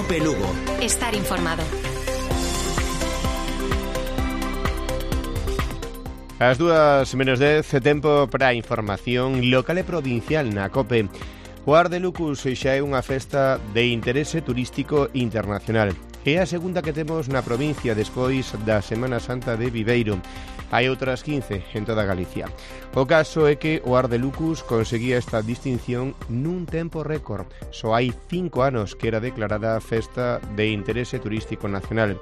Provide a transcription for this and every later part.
COPE Lugo. Estar informado. As 2:10, tempo para a información local e provincial na COPE. O Ar de Lucus xa é unha festa de interese turístico internacional. É a segunda que temos na provincia despois da Semana Santa de Viveiro. Hai outras 15 en toda Galicia. O caso é que o Ar de Lucus conseguía esta distinción nun tempo récord. Só hai 5 anos que era declarada festa de interese turístico nacional.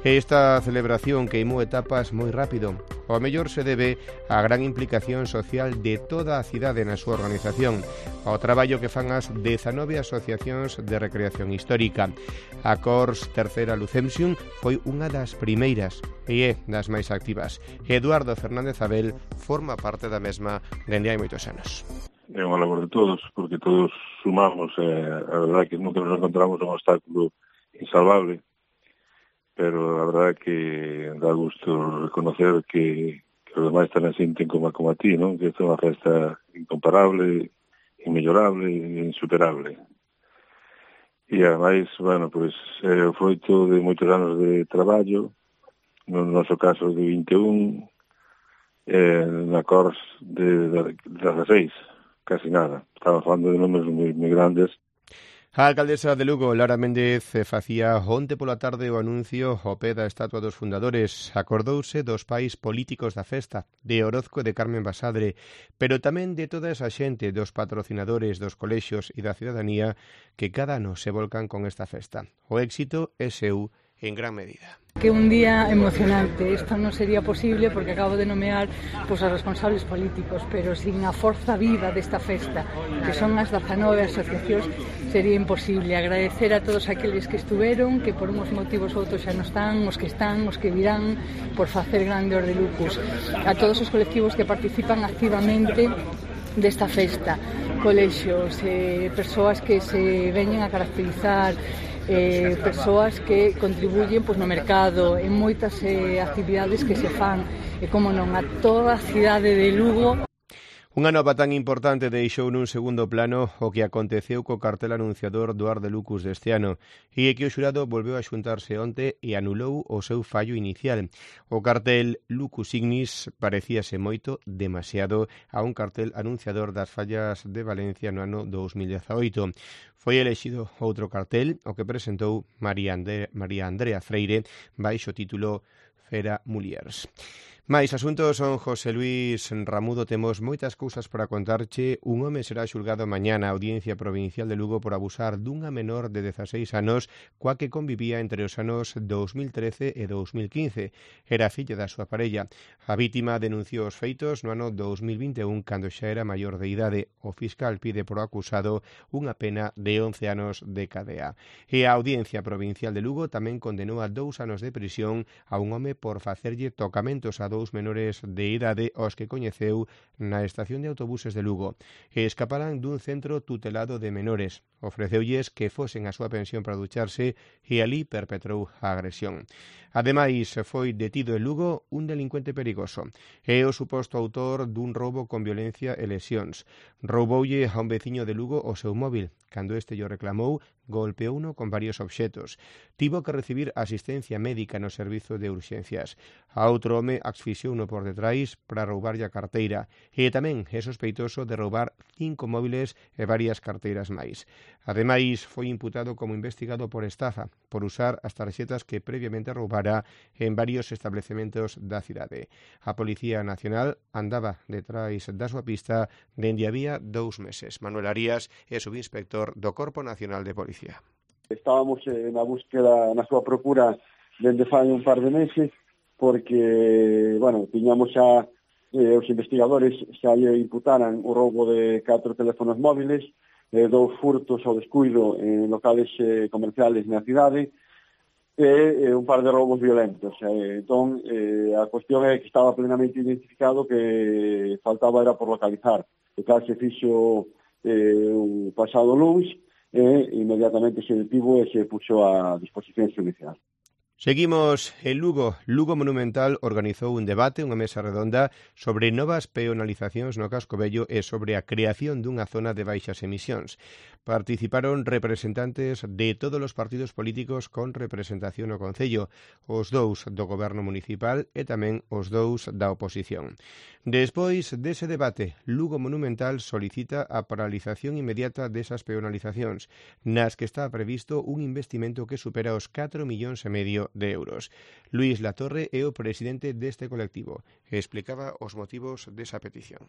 Esta celebración queimou etapas moi rápido. O mellor se debe á gran implicación social de toda a cidade na súa organización, ao traballo que fan as 19 asociacións de recreación histórica. A Cors Terceira Lucemsium foi unha das primeiras e é das máis activas. Eduardo Fernández Abel forma parte da mesma dende hai moitos anos. É unha labor de todos, porque todos sumamos, a verdade que nunca nos encontramos un obstáculo insalvable, pero a verdade que dá gusto reconocer que os demais tamén sinten como a ti, non? Que esta é unha festa incomparable, inmellorable e insuperable. E ademais, bueno, pois é o froito de moitos anos de traballo, no noso caso de 21, na Cors de 16, casi nada. Estamos falando de números moi grandes. A alcaldesa de Lugo, Lara Méndez, facía onte pola tarde o anuncio ao pé da estatua dos fundadores. Acordouse dos pais políticos da festa, de Orozco e de Carmen Basadre, pero tamén de toda esa xente, dos patrocinadores, dos colexios e da cidadanía que cada ano se volcan con esta festa. O éxito é seu en gran medida. Que un día emocionante. Isto non sería posible porque acabo de nomear os responsables políticos, pero sin a forza viva desta festa, que son as 19 asociacións, sería imposible. Agradecer a todos aqueles que estuveron, que por uns motivos ou outros xa non están, os que virán, por facer grande Ar de Lucus. A todos os colectivos que participan activamente desta festa, colexios, persoas que se veñen a caracterizar, persoas que contribuyen no mercado, en moitas actividades que se fan, e como non, a toda a cidade de Lugo. Unha nova tan importante deixou nun segundo plano o que aconteceu co cartel anunciador do Ar de Lucus deste ano e que o xurado volveu a xuntarse onte e anulou o seu fallo inicial. O cartel Lucus Ignis parecíase moito, demasiado, a un cartel anunciador das fallas de Valencia no ano 2018. Foi elexido outro cartel, o que presentou María Andrea Freire, baixo título Fera Muliers. Mais asuntos son José Luis Ramudo. Temos moitas cousas para contarche. Un home será xulgado mañá na Audiencia Provincial de Lugo por abusar dunha menor de 16 anos coa que convivía entre os anos 2013 e 2015. Era filla da súa parella. A vítima denunciou os feitos no ano 2021 cando xa era maior de idade. O fiscal pide por acusado unha pena de 11 anos de cadea. E a Audiencia Provincial de Lugo tamén condenou a 2 anos de prisión a un home por facerlle tocamentos a 2 menores de idade aos que coñeceu na estación de autobuses de Lugo e escaparan dun centro tutelado de menores. Ofreceulles que fosen a súa pensión para ducharse e ali perpetrou a agresión. Ademais, foi detido en Lugo un delincuente perigoso. É o suposto autor dun roubo con violencia e lesións. Rouboulle a un veciño de Lugo o seu móvil. Cando este llo reclamou, golpeouno con varios obxetos. Tivo que recibir asistencia médica no servizo de urxencias. A outro home asfixiouno por detrás para roubarlle a carteira e tamén é sospeitoso de roubar 5 móviles e varias carteiras máis. Ademais, foi imputado como investigado por estafa, por usar as tarxetas que previamente roubara en varios establecementos da cidade. A Policía Nacional andaba detrás da súa pista dende había 2 meses. Manuel Arias é subinspector do Corpo Nacional de Policía. Estábamos na búsqueda, na súa procura dende fai un par de meses, porque, bueno, tiñamos xa os investigadores xa lle imputaran o roubo de 4 teléfonos móviles, 2 furtos ao descuido en locales comerciales na cidade e un par de roubos violentos. Entón, a cuestión é que estaba plenamente identificado, que faltaba era por localizar. O tal se fixo o pasado luns e inmediatamente se detivo e se puxo a disposición xudicial. Seguimos en Lugo. Lugo Monumental organizou un debate, unha mesa redonda, sobre novas peonalizacións no casco vello e sobre a creación dunha zona de baixas emisións. Participaron representantes de todos os partidos políticos con representación no Concello, os dous do Goberno Municipal e tamén os dous da oposición. Despois dese debate, Lugo Monumental solicita a paralización inmediata desas peonalizacións, nas que está previsto un investimento que supera os 4,5 millóns de euros. Luís Latorre é o presidente deste colectivo e explicaba os motivos desa petición.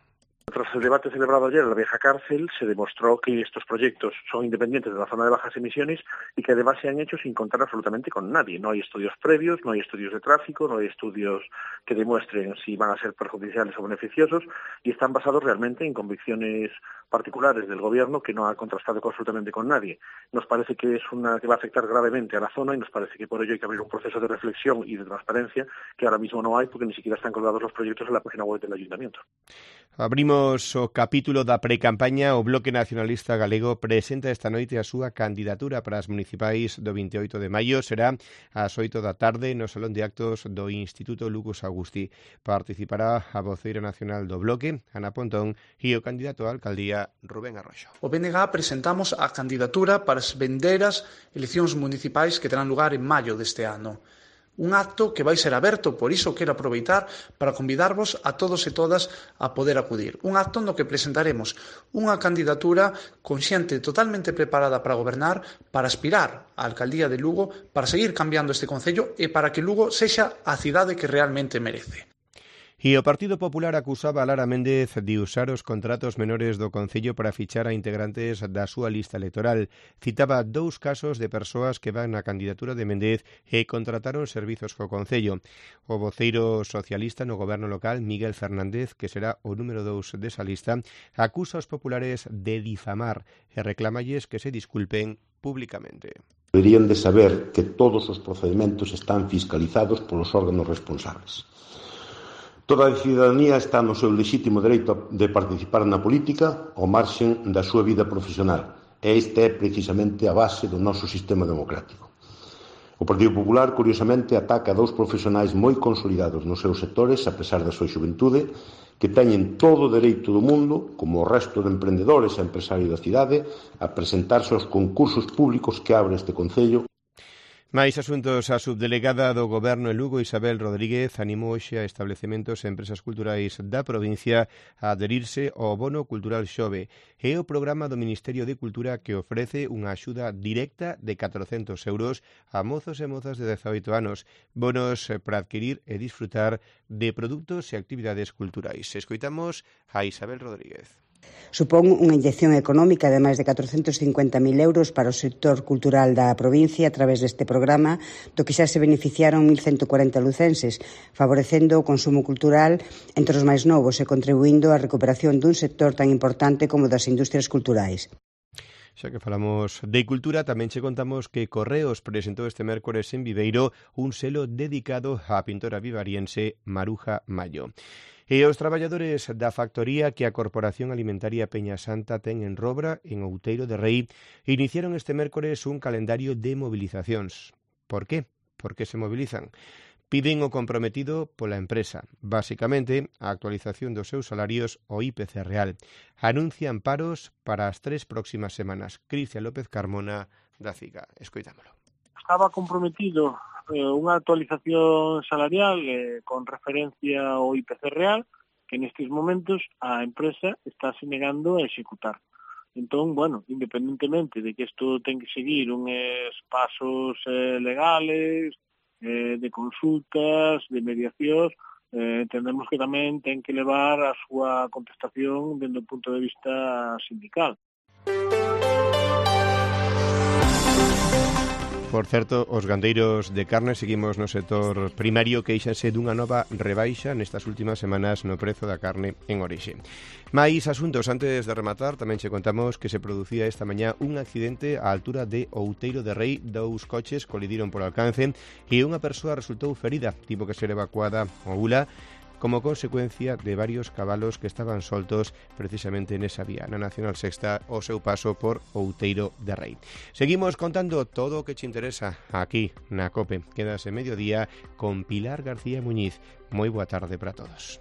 Tras el debate celebrado ayer en la vieja cárcel, se demostró que estos proyectos son independientes de la zona de bajas emisiones y que además se han hecho sin contar absolutamente con nadie. No hay estudios previos, no hay estudios de tráfico, no hay estudios que demuestren si van a ser perjudiciales o beneficiosos y están basados realmente en convicciones particulares del gobierno que no ha contrastado absolutamente con nadie. Nos parece que es una que va a afectar gravemente a la zona y nos parece que por ello hay que abrir un proceso de reflexión y de transparencia que ahora mismo no hay porque ni siquiera están colgados los proyectos en la página web del Ayuntamiento. Abrimos o capítulo da precampaña. O Bloque Nacionalista Galego presenta esta noite a súa candidatura para as municipais do 28 de maio. Será ás 8 da tarde no Salón de Actos do Instituto Lucas Agusti. Participará a voceira nacional do Bloque, Ana Pontón, e o candidato á alcaldía, Rubén Arroxo. O BNG presentamos a candidatura para as vindeiras eleccións municipais que terán lugar en maio deste ano. Un acto que vai ser aberto, por iso quero aproveitar para convidarvos a todos e todas a poder acudir. Un acto no que presentaremos unha candidatura con xente totalmente preparada para gobernar, para aspirar á alcaldía de Lugo, para seguir cambiando este concello e para que Lugo sexa a cidade que realmente merece. E o Partido Popular acusaba a Lara Méndez de usar os contratos menores do Concello para fichar a integrantes da súa lista electoral. Citaba 2 casos de persoas que van na candidatura de Méndez e contrataron servizos co Concello. O voceiro socialista no goberno local, Miguel Fernández, que será o número 2 desa lista, acusa aos populares de difamar e reclamalles que se disculpen públicamente. Deberían de saber que todos os procedementos están fiscalizados polos órganos responsables. Toda a cidadanía está no seu lexítimo dereito de participar na política ao marxen da súa vida profesional e esta é precisamente a base do noso sistema democrático. O Partido Popular, curiosamente, ataca a 2 profesionais moi consolidados nos seus sectores, a pesar da súa xuventude, que teñen todo o dereito do mundo, como o resto de emprendedores e empresarios da cidade, a presentarse aos concursos públicos que abre este Concello. Máis asuntos. A subdelegada do Goberno en Lugo, Isabel Rodríguez, animou hoxe a establecementos e empresas culturais da provincia a adherirse ao Bono Cultural Xove. É o programa do Ministerio de Cultura que ofrece unha axuda directa de 400 euros a mozos e mozas de 18 anos, bonos para adquirir e disfrutar de produtos e actividades culturais. Escoitamos a Isabel Rodríguez. Supón unha inyección económica de máis de 450.000 euros para o sector cultural da provincia a través deste programa, do que xa se beneficiaron 1.140 lucenses, favorecendo o consumo cultural entre os máis novos e contribuindo á recuperación dun sector tan importante como das industrias culturais. Xa que falamos de cultura, tamén che contamos que Correos presentou este mércores en Viveiro un selo dedicado á pintora vivariense Maruja Mallo. E os traballadores da factoría que a Corporación Alimentaria Peña Santa ten en Robra, en Outeiro de Rei, iniciaron este mércores un calendario de movilizacións. Por qué? Por que se mobilizan? Piden o comprometido pola empresa, basicamente a actualización dos seus salarios ao IPC real. Anuncian paros para as 3 próximas semanas. Cristian López Carmona, da CIGA. Escoitámolo. Estaba comprometido unha actualización salarial con referencia ao IPC real, que nestes momentos a empresa está se negando a executar. Entón, bueno, independentemente de que isto ten que seguir uns pasos legales, de consultas, de mediacións, entendemos que tamén ten que levar a súa contestación dende o punto de vista sindical. Por certo, os gandeiros de carne seguimos no sector primario queixanse dunha nova rebaixa nestas últimas semanas no prezo da carne en orixe. Mais asuntos, antes de rematar, tamén che contamos que se producía esta mañá un accidente á altura de Outeiro de Rei. 2 coches colidiron por alcance e unha persoa resultou ferida, tivo que ser evacuada ao ULA. como consecuencia de varios cabalos que estaban soltos precisamente nesa vía, na Nacional Sexta, o seu paso por Outeiro de Rei. Seguimos contando todo o que te interesa aquí na COPE. Quedas en Mediodía con Pilar García Muñiz. Moi boa tarde para todos.